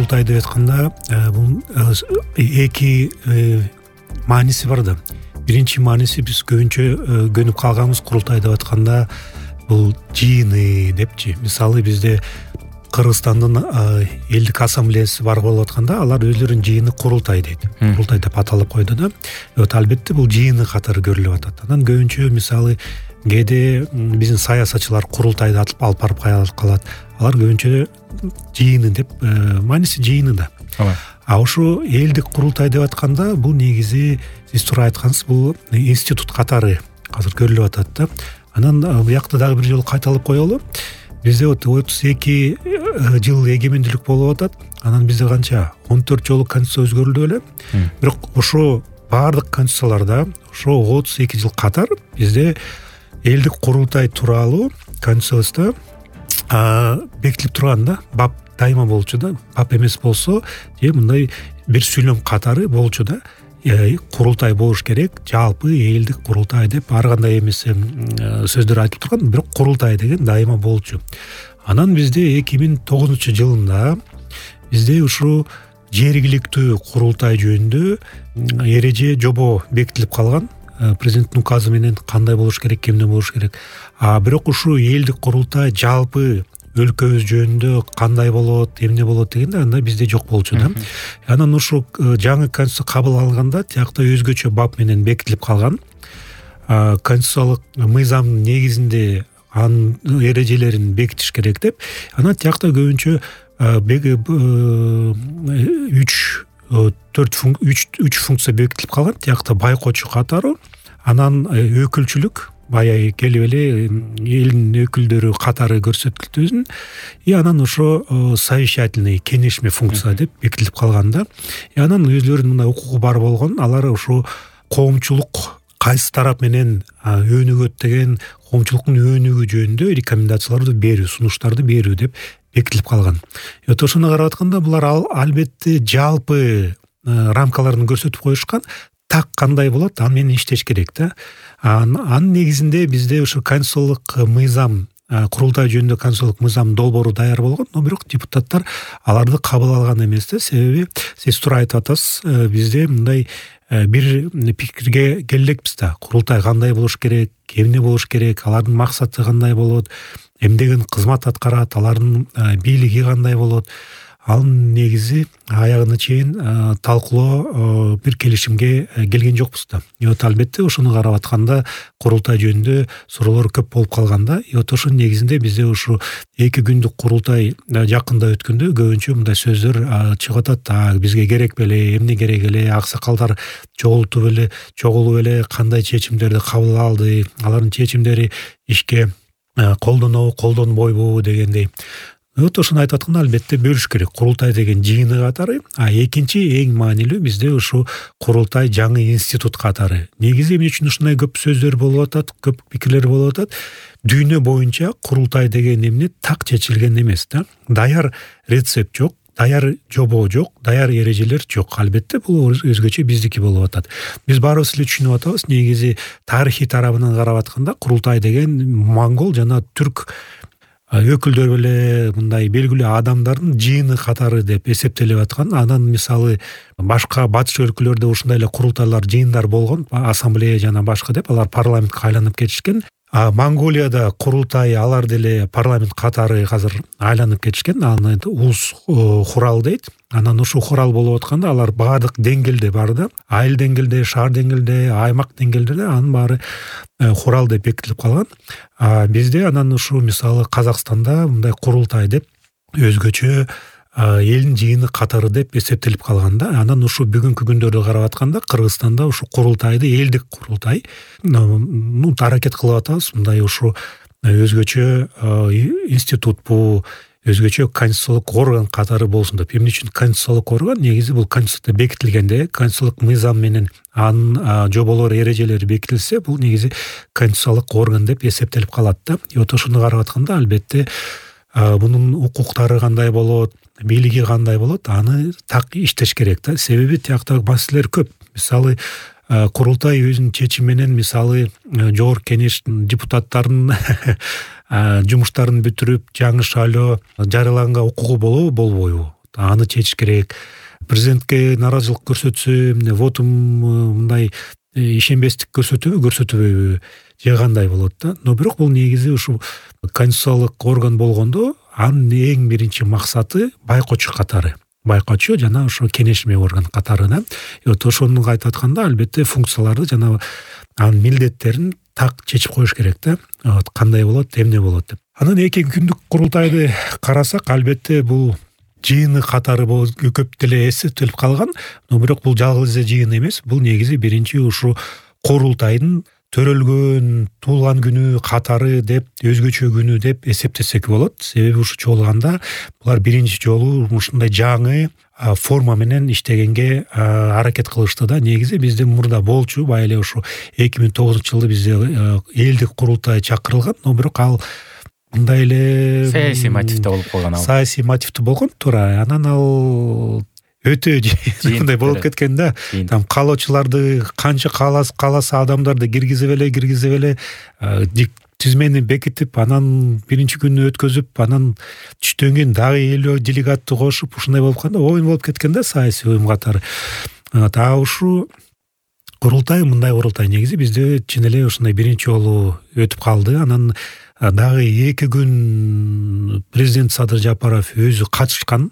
курултай деп айтканда бул эки мааниси бар да. Биринчи мааниси биз көбүнчө көнүп калганбыз курултай деп айтканда бул жыйыны депчи. Мисалы бизде Кыргызстандын элдик ассамблеясы бар болуп атканда алар өзлөрүнүн жыйыны курултай дейт. Курултай деп аталып койду да. Албетте бул жыйыны катары көрүлүп атат. Анан көбүнчө мисалы кээде биздин саясатчылар курултайды алып барып калат. Алар көбүнчө жыйыны деп мааниси жыйыны да. Ошо элдик курултай деп атканда бул негизи сиз туура айткансыз, бул институт катары азыр көрүлүп атат да. Анан буякта дагы бир жолу кайталап коелу. Бизде 32 жыл эгемендүүлүк болуп атат. Анан бизде канча 14 жолу конституция өзгөрүлдү беле. Бирок ошо баардык конституцияларда ошо 32 жыл катар бизде элдик курултай тууралуу конституцияда бекитилип турган да. Бап дайыма болчу да. Бап эмес болсо же мындай бир сүйлөм катары болчу да. Курултай болуш керек, жалпы элдик курултай деп ар кандай эмес сөздөр айтылып турган, бирок курултай деген дайыма болчу. Анан бизде 2009-жылында бизде ушу жергиликтүү курултай жөнүндө эреже жобо бекитилип калган. Президенттин указы менен кандай болуш керек, кемден болуш керек. Бирок ушу элдик курултай жалпы өлкөбүз жөнүндө кандай болот, эмне болот дегенде анда бизде жок болчу да. Анан ушу жаңы конституция кабыл алганда тиякта өзгөчө бап менен бекитилип калган. Конституциялык мыйзамдын негизинде анын эрежелерин бекитиш керек деп. Анан тиякта көбүнчө 3 функция бекитилип калган. Тиякта байкоочу катары, анан өкүлчүлүк, баягы келип эле элдин өкүлдөрү катары көрсөтүлтүбүзүн, анан ошо совещательный кеңешме функция деп бекитилип калган да. Анан өзлөрүнүн мындай укугу бар болгон, алар ошо коомчулук кайсы тарап менен өнүгөт деген коомчулуктун өнүгүү жөнүндө рекомендацияларды берүү, сунуштарды берүү деп бекитилип калган. Ошону карап атканда булар албетте жалпы рамкаларын көрсөтүп коюшкан. Так кандай болот, аны менен иштеш керек да. Анын негизинде бизде ошо конституциялык мыйзам, курултай жөнүндө конституциялык мыйзам долбоору даяр болгон, но бирок депутаттар аларды кабыл алган эмес да. Себеби сиз туура айтып атасыз, бизде мындай бир пикирге келелекпиз да. Курултай кандай болуш керек, эмне болуш керек, алардын максаты кандай болот, эмдеген кызмат аткарат, алардын бийлиги кандай болот. Анын негизи аягына чейин талкуулоо бир келишимге келген жокпуз да. Албетте ошону карап атканда курултай жөнүндө суроолор көп болуп калган да. Ошонун негизинде бизде ушу 2 күндүк курултай жакында өткөндө көбүнчө мындай сөздөр чыгып атат. Бизге керек беле, эмне керек эле, аксакалдар чогулуп эле кандай чечимдерди кабыл алды, алардын чечимдери ишке колдонбойбу дегендей. Ошону айтып атканда албетте бөлүш керек. Курултай деген жыйыны катары, экинчи эң маанилүү бизде ушу курултай жаңы институт катары. Негизи эмне үчүн ушундай көп сөздөр болуп атат, көп пикирлер болуп атат? Дүйнө боюнча курултай деген эмне так чечилген эмес да. Даяр рецепт жок, даяр жобо жок, даяр эрежелер жок. Албетте бул өзгөчө биздики болуп атат. Биз баарыбыз эле түшүнүп атабыз, негизи тарыхый тарабынан карап атканда курултай деген монгол жана түрк өкүлдөр эле мындай белгилүү адамдардын жыйыны катары деп эсептелип аткан. Анан мисалы башка батыш өлкөлөрдө ушундай эле курултайлар, жыйындар болгон, ассамблея жана башка деп алар парламентке айланып кетишкен. Монголияда курултай алар деле парламент катары азыр айланып кетишкен. Аны улус хурал дейт. Анан ушул хурал болуп атканда алар баардык деңгээлде бар да. Айыл деңгээлде, шаар деңгээлде, аймак деңгээлде анын баары хурал деп бекитилип калган. Бизде анан ушу мисалы Казакстанда мындай курултай деп өзгөчө элдин жыйыны катары деп эсептелип калган да. Анан ушу бүгүнкү күндөрдө карап атканда Кыргызстанда ушу курултайды элдик курултай аракет кылып атабыз. Мындай ушу өзгөчө институт бу, өзгөчө конституциялык орган катары болсун деп. Эмне үчүн конституциялык орган? Негизи бул конституцияда бекитилгенде, конституциялык мыйзам менен анын жоболор, эрежелери бекитилсе, бул негизи конституциялык орган деп эсептелип калат да. Ошону карап атканда албетте бунун укуктары кандай болот, бийлиги кандай болот, аны так иштеш керек да. Себеби тиякта маселелер көп. Мисалы курултай өзүнүн чечими менен мисалы жогорку кеңештин депутаттарын жумуштарын бүтүрүп жаңы шайлоо жарыяланга укугу болобу, болбойбу? аны чечиш керек. Президентке нааразычылык көрсөтсө вотум мындай ишенбестик көрсөтөбү же кандай болот да. Но бирок бул негизи ушу конституциялык орган болгондо анын эң биринчи максаты байкоочу катары. Байкоочу жана ошо кеңешме орган катары да. Вот ошону айтып атканда албетте функцияларды жана анын милдеттерин так чечип коюш керек да. Вот кандай болот, эмне болот деп. Анан 2 күндүк курултайды карасак, албетте бул жыйыны катары көп деле эсептелип калган. Но бирок бул жалгыз жыйын эмес. Бул негизи биринчи ушу курултайдын төрөлгөн туулган күнү катары деп, өзгөчө күнү деп эсептесек болот. Себеби ушу чогулганда булар биринчи жолу ушундай жаңы форма менен иштегенге аракет кылышты да. Негизи бизде мурда болчу, бай эле ушу 2009-жылы бизде элдик курултай чакырылган, но бирок ал мындай эле саясий мотивде болуп калган. Саясий мотивде болгон туура. Анан ал өтө мындай болуп кеткен да. Там каалоочуларды канча кааласа адамдарды киргизип эле тизмени бекитип, анан биринчи күнү өткөзүп, анан түштөн кийин дагы 50 делегатты кошуп, ушундай болуп калганда оюн болуп кеткен да саясий уюм катары. Ушу курултай мындай курултай негизи бизде чын эле ушундай биринчи жолу өтүп калды. Анан дагы 2 күн президент Садыр Жапаров өзү катышкан,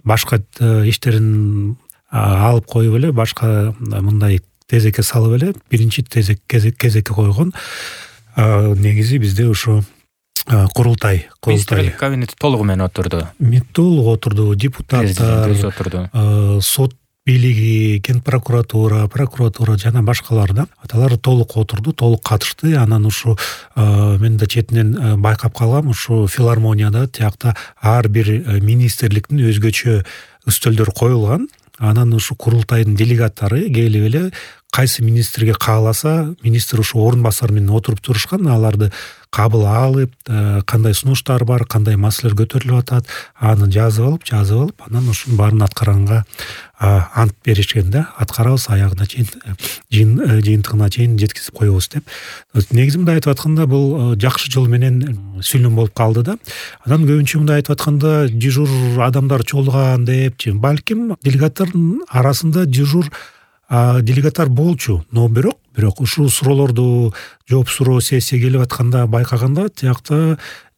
башка иштерин алып коюп эле, башка мындай тезекке салып эле биринчи кезекке койгон. Негизи бизде ушу курултай министрлик кабинети толугу менен отурду. Толугу отурду, депутаттар, өзү отурду. Сот бийлиги, кен прокуратура жана башкалар да. Аталар толук отурду, толук катышты. Анан ушу мен да четинен байкап калгам, ушу филармонияда тиякта ар бир министрликтин өзгөчө үстөлдөр коюлган. Анан ушу курултайдын делегаттары келип эле кайсы министрге кааласа, министр ушу орун басар менен отуруп турушкан, аларды кабыл алып, кандай сунуштар бар, кандай маселелер көтөрүлүп атат, аны жазып алып, анан ушунун баарын аткаранга ант беришкен да. Аткарабыз аягына чейин, жыйынтыгына чейин жеткизип коебуз деп. Негизи мындай айтып атканда бул жакшы жол менен сүйлөм болуп калды да. Анан көбүнчө мындай айтып атканда дежур адамдар чогулган депчи, балким делегаттардын арасында дежур делегаттар болчу, но бирок ушул суроолорду жооп суроо сессия келип атканда байкаганда тиякта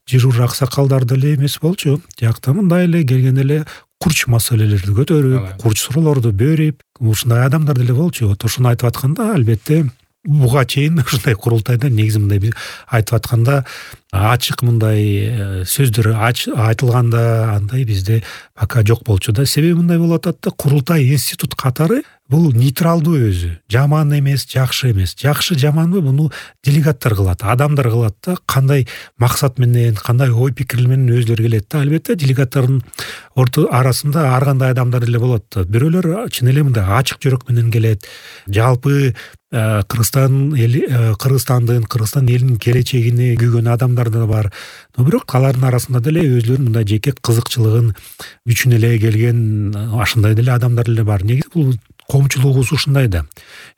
дежур аксакалдар деле эмес болчу. Тиякта мындай эле келген эле курч маселелерди көтөрүп, курч суроолорду берип, ушундай адамдар деле болчу. Вот ошону айтып атканда албетте буга чейин ушундай курултайда негизи мындай айтып атканда ачык мындай сөздөр айтылганда андай бизде пока жок болчу да. Себеби мындай болуп атат да, курултай институт катары бул нейтралдуу өзү. Жаман эмес, жакшы эмес. Жакшы жаманбы буну делегаттар кылат, адамдар кылат да. Кандай максат менен, кандай ой пикир менен өзлөрү келет да. Албетте делегаттардын арасында ар кандай адамдар деле болот да. Бирөөлөр чын эле мындай ачык жүрөк менен келет. Жалпы Кыргызстан элинин келечегине күйгөн адамдар да бар. Но бирок алардын арасында деле өзлөрүнүн мындай жеке кызыкчылыгын үчүн эле келген ашындай деле адамдар деле бар. Негизи бул коомчулугубуз ушундай да.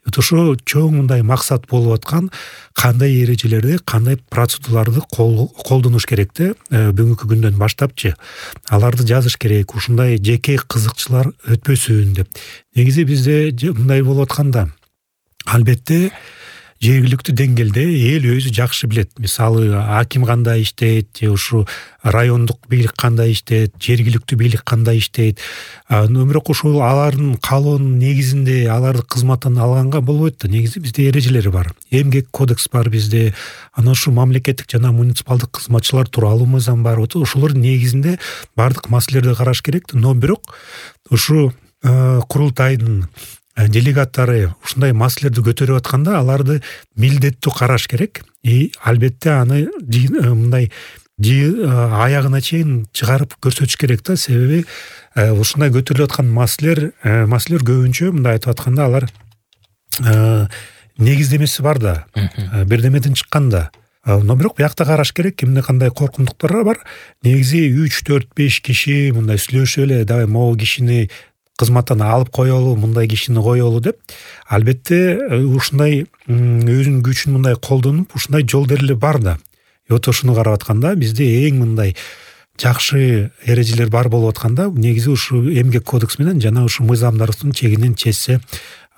Ошо чоң мындай максат болуп аткан кандай эрежелерди, кандай процедураларды колдонуш керек да, бүгүнкү күндөн баштапчы. Аларды жазыш керек, ушундай жеке кызыкчылар өтпөсүн деп. Негизи бизде мындай болуп атканда албетте жергиликтүү деңгээлде эл өзү жакшы билет. Мисалы аким кандай иштейт, же ушу райондук бийлик кандай иштейт, жергиликтүү бийлик кандай иштейт. Бирок ушул алардын каалоонун негизинде аларды кызматтан алганга болбойт да. Негизи бизде эрежелери бар. Эмгек кодекс бар бизде. Анан ушу мамлекеттик жана муниципалдык кызматчылар тууралуу мыйзам бар. Ошолордун негизинде бардык маселелерди караш керек. Но бирок ушу курултайдын делегаттары ушундай маселелерди көтөрүп атканда аларды милдеттүү караш керек. Албетте аны мындай аягына чейин чыгарып көрсөтүш керек да. Себеби ушундай көтөрүлүп аткан маселелер көбүнчө мындай айтып атканда алар негиздемеси бар да. Бирдемеден чыкканда. Но бирок биякта караш керек, эмне кандай коркунтуктар бар. Негизи 3, 4, 5 киши мындай сүйлөшүп эле, давай могу кишини кызматтан алып коелу, мындай кишини коелу деп. Албетте ушундай өзүнүн күчүн мындай колдонуп, ушундай жолдор эле бар да. Вот ошону карап атканда бизде эң мындай жакшы эрежелер бар болуп атканда негизи ушул эмгек кодекс менен жана ушул мыйзамдарыбыздын чегинен чечсе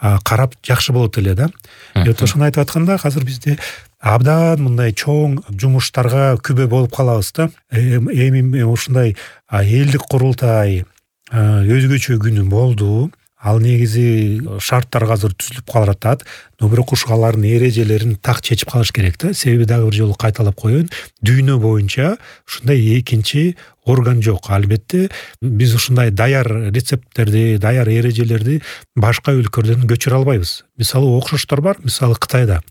карап жакшы болот эле да. Ошону айтып атканда азыр бизде абдан мындай чоң жумуштарга күбө болуп калабыз да. Эми ушундай элдик курултай өзгөчө күнү болду. Ал негизи шарттар азыр түзүлүп калатат. Но бирок ушул алардын эрежелерин так чечип калыш керек да. Себеби дагы бир жолу кайталап коеюн, дүйнө боюнча ушундай экинчи орган жок. Албетте биз ушундай даяр рецепттерди, даяр эрежелерди башка өлкөлөрдөн көчүрө албайбыз. Мисалы окшоштор бар, мисалы Кытайда.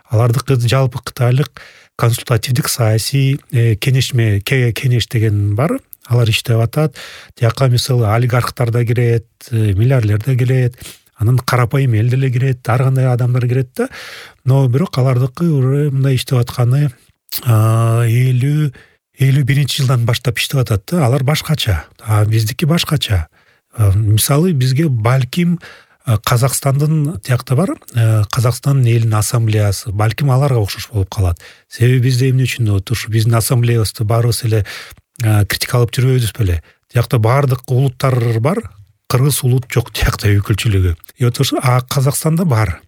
Алардыкы жалпы кытайлык консультативдик саясий кеңеш деген бар. Алар иштеп атат. Тияка мисалы олигархтар да кирет, миллиардерлер да кирет, анан карапайым эл деле кирет, ар кандай адамдар кирет да. Но бирок алардыкы уже мындай иштеп атканы 51-жылдан баштап иштеп атат да. Алар башкача, биздики башкача. Мисалы бизге балким Казакстандын тиякта бар, Казакстандын элинин ассамблеясы, балким аларга окшош болуп калат. Себеби бизде эмне үчүн ушу биздин ассамблеябызды баарыбыз эле критикалап жүрбөйбүз беле. Тиякта баардык улуттар бар, кыргыз улут жок тиякта өкүлчүлүгү. Казакстанда бар.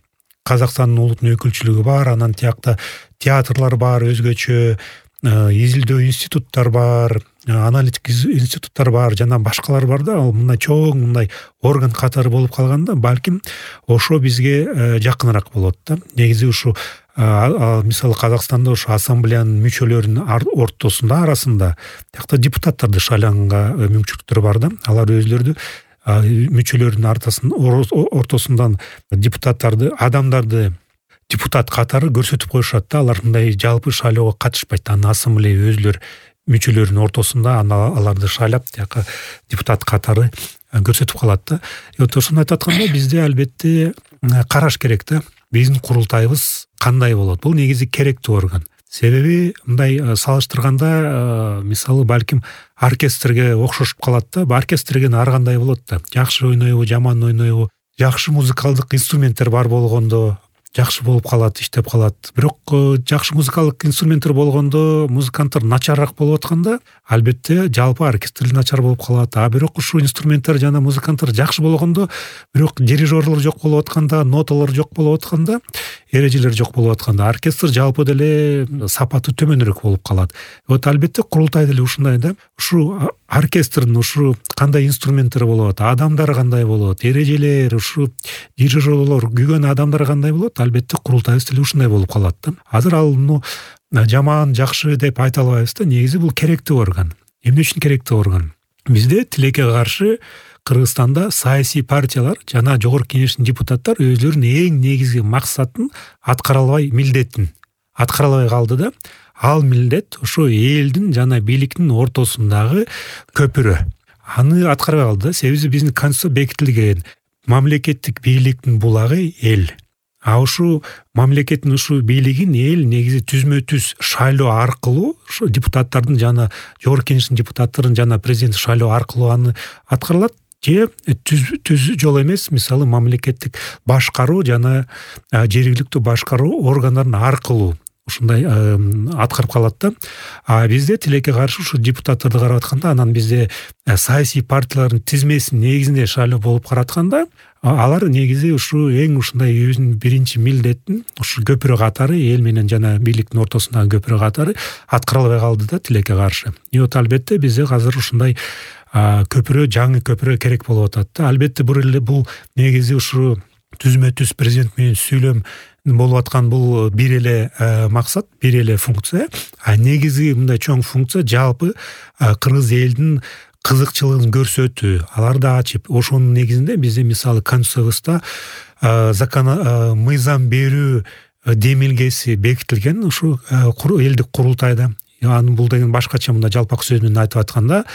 Казакстандын улуттун өкүлчүлүгү бар, анан тиякта театрлар бар, өзгөчө изилдөө институттар бар, аналитик институттар бар, жана башкалар бар да. Ал мындай чоң мындай орган катары болуп калганда, балким ошо бизге жакыныраак болот да. Негизи ушу мисалы Казакстанда ушу ассамблеянын мүчөлөрүнүн арасында тиякта депутаттарды шайланганга мүмкүнчүлүктөр бар да. Алар өзлөрү мүчөлөрүнүн ортосундан депутаттарды, адамдарды депутат катары көрсөтүп коюшат да. Алар мындай жалпы шайлоого катышпайт. Анан ассамблея өзлөр мүчөлөрүнүн ортосунда аларды шайлап тияка депутат катары көрсөтүп калат да. Ошону айтып атканда бизде албетте караш керек да. Биздин курултайыбыз кандай болот? Бул негизи керектүү орган. Себеби мындай салыштырганда мисалы балким оркестрге окшошуп калат да. Оркестрге ар кандай болот да. Жакшы ойнойбу, жаман ойнойбу, жакшы музыкалдык инструменттер бар болгондо жакшы болуп калат, иштеп калат. Бирок жакшы музыкалдык инструменттер болгондо, музыканттар начарраак болуп атканда, албетте жалпы оркестр начар болуп калат. Бирок ушул инструменттер жана музыканттар жакшы болгондо, бирок дирижерлор жок болуп атканда, ноталар жок болуп атканда, эрежелер жок болуп атканда, оркестр жалпы деле сапаты төмөнүрөөк болуп калат. Албетте курултай деле ушундай да. Ушу оркестрдин ушу кандай инструменттери болот, адамдар кандай болот, эрежелер, ушу дирижерлор, күйгөн адамдар кандай болот, албетте курултайыбыз деле ушундай болуп калат да. Азыр ал жаман, жакшы деп айта албайбыз да. Негизи бул керектүү орган. Эмне үчүн керектүү орган? Бизде тилекке каршы Кыргызстанда саясий партиялар жана жогорку кеңештин депутаттар өзлөрүнүн эң негизги максатын аткара албай, милдетин аткара албай калды да. Ал милдет ошо элдин жана бийликтин ортосундагы көпүрө. Аны аткарбай калды да. Себеби биздин конституция бекитилген. Мамлекеттик бийликтин булагы эл. Ушу мамлекеттин ушу бийлигин эл негизи түзмө-түз шайлоо аркылуу, ушу депутаттардын жана жогорку кеңештин депутаттарын жана президент шайлоо аркылуу аны аткарылат. Же түз жол эмес, мисалы мамлекеттик башкаруу жана жергиликтүү башкаруу органдарын аркылуу ушундай аткарып калат да. Бизде тилекке каршы ушу депутаттарды карап атканда, анан бизде саясий партиялардын тизмесинин негизинде шайлоо болуп каратканда, алар негизи ушу эң ушундай өзүнүн биринчи милдетин ушу көпүрө катары, эл менен жана бийликтин ортосундагы көпүрө катары аткара албай калды да тилекке каршы. Албетте бизде азыр ушундай көпүрө, жаңы көпүрө керек болуп атат да. Албетте бул негизи ушу түзмө-түз президент менен сүйлөм болуп аткан бул бир эле максат, бир эле функция. Негизи мындай чоң функция жалпы кыргыз элдин кызыкчылыгын көрсөтүү, аларды ачып, ошонун негизинде бизде мисалы конституциябызда мыйзам берүү демилгеси бекитилген ушу элдик курултайда. Анын бул деген башкача мындай жалпак сөз менен айтып атканда,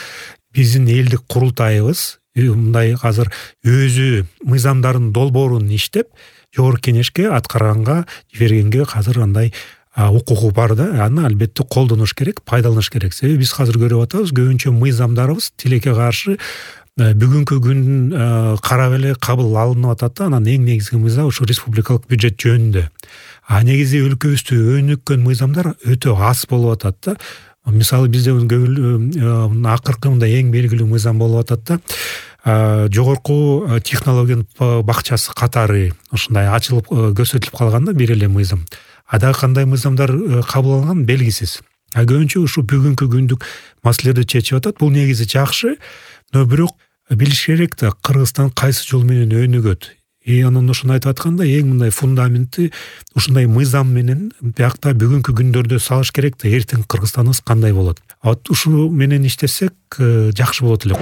биздин элдик курултайыбыз мындай азыр өзү мыйзамдардын долбоорун иштеп, жогорку кеңешке аткарганга жибергенге азыр андай укугу бар да. Аны албетте колдонуш керек, пайдаланыш керек. Себеби биз азыр көрүп атабыз, көбүнчө мыйзамдарыбыз тилекке каршы бүгүнкү күндүн карап эле кабыл алынып атат да. Анан эң негизги мыйзам ушу республикалык бюджет жөнүндө. Негизи өлкөбүздө өнүккөн мыйзамдар өтө аз болуп атат да. мисалы бизде акыркы мындай эң белгилүү мыйзам болуп атат да, жогорку технологиянын бакчасы катары ушундай ачылып көрсөтүлүп калган да бир эле мыйзам. Дагы кандай мыйзамдар кабыл алынган белгисиз. Көбүнчө ушу бүгүнкү күндүк маселелерди чечип атат. Бул негизи жакшы, но бирок билиш керек да, Кыргызстан кайсы жол менен өнүгөт. Анан ошону айтып атканда эң мындай фундаментти ушундай мыйзам менен биякта бүгүнкү күндөрдө салыш керек да, эртең Кыргызстаныбыз кандай болот. Ушу менен иштесек жакшы болот элек.